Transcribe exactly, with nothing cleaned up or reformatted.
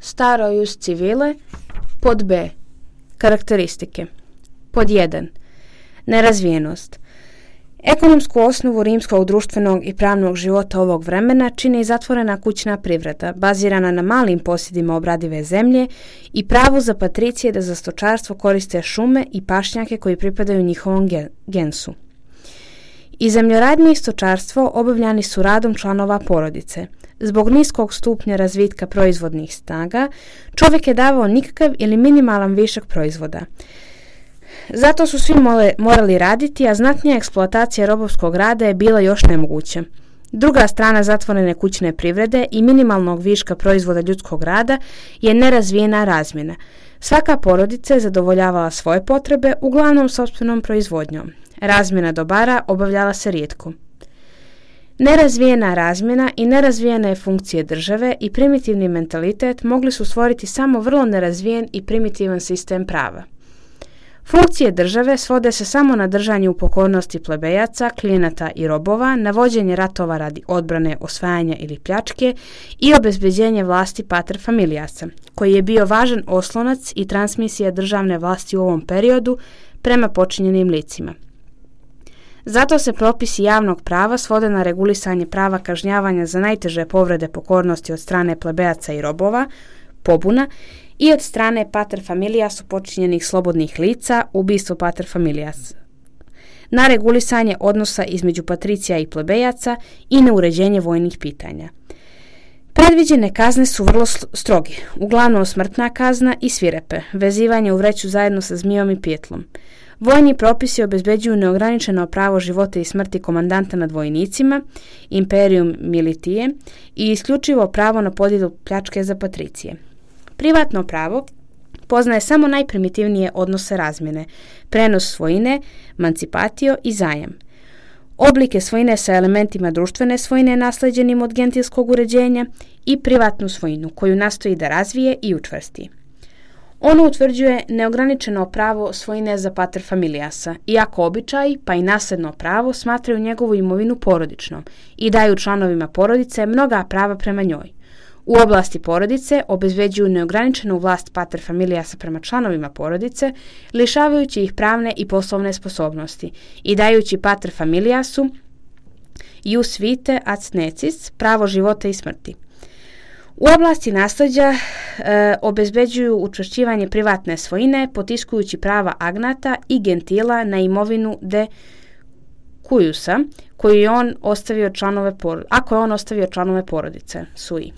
staro jus civile. Pod B. Karakteristike. Pod jedan. Nerazvijenost. Ekonomsku osnovu rimskog društvenog i pravnog života ovog vremena čini zatvorena kućna privreda, bazirana na malim posjedima obradive zemlje i pravu za patricije da za stočarstvo koriste šume i pašnjake koji pripadaju njihovom gensu. I zemljoradnje i stočarstvo obavljani su radom članova porodice. Zbog niskog stupnja razvitka proizvodnih snaga, čovjek je davao nikakav ili minimalan višak proizvoda. Zato su svi mole, morali raditi, a znatnija eksploatacija robovskog rada je bila još nemoguća. Druga strana zatvorene kućne privrede i minimalnog viška proizvoda ljudskog rada je nerazvijena razmjena. Svaka porodica je zadovoljavala svoje potrebe, uglavnom sopstvenom proizvodnjom. Razmjena dobara obavljala se rijetko. Nerazvijena razmjena i nerazvijene funkcije države i primitivni mentalitet mogli su stvoriti samo vrlo nerazvijen i primitivan sistem prava. Funkcije države svode se samo na držanje u pokornosti plebejaca, klijenata i robova, na vođenje ratova radi odbrane, osvajanja ili pljačke i obezbeđenje vlasti pater familiasa, koji je bio važan oslonac i transmisija državne vlasti u ovom periodu prema počinjenim licima. Zato se propisi javnog prava svode na regulisanje prava kažnjavanja za najteže povrede pokornosti od strane plebejaca i robova, pobuna, i od strane pater familiasu počinjenih slobodnih lica, ubistvo pater familias, na regulisanje odnosa između patricija i plebejaca i na uređenje vojnih pitanja. Predviđene kazne su vrlo stroge, uglavnom smrtna kazna i svirepe, vezivanje u vreću zajedno sa zmijom i pijetlom. Vojni propisi obezbeđuju neograničeno pravo života i smrti komandanta nad vojnicima, imperium militije, i isključivo pravo na podjelu pljačke za patricije. Privatno pravo poznaje samo najprimitivnije odnose razmjene, prenos svojine, mancipatio i zajam. Oblike svojine sa elementima društvene svojine nasleđenim od gentilskog uređenja i privatnu svojinu koju nastoji da razvije i učvrsti. Ono utvrđuje neograničeno pravo svojine za pater familiasa, iako običaji pa i nasljedno pravo smatraju njegovu imovinu porodičnom i daju članovima porodice mnoga prava prema njoj. U oblasti porodice obezbeđuju neograničenu vlast pater familiasa prema članovima porodice, lišavajući ih pravne i poslovne sposobnosti i dajući pater familiasu ius vitae ac necis, pravo života i smrti. U oblasti nasljeđa e, obezbeđuju učvršćivanje privatne svojine, potiskujući prava agnata i gentila na imovinu de cuiusa, koju je on ostavio članove porodice, ako je on ostavio članove porodice, sui.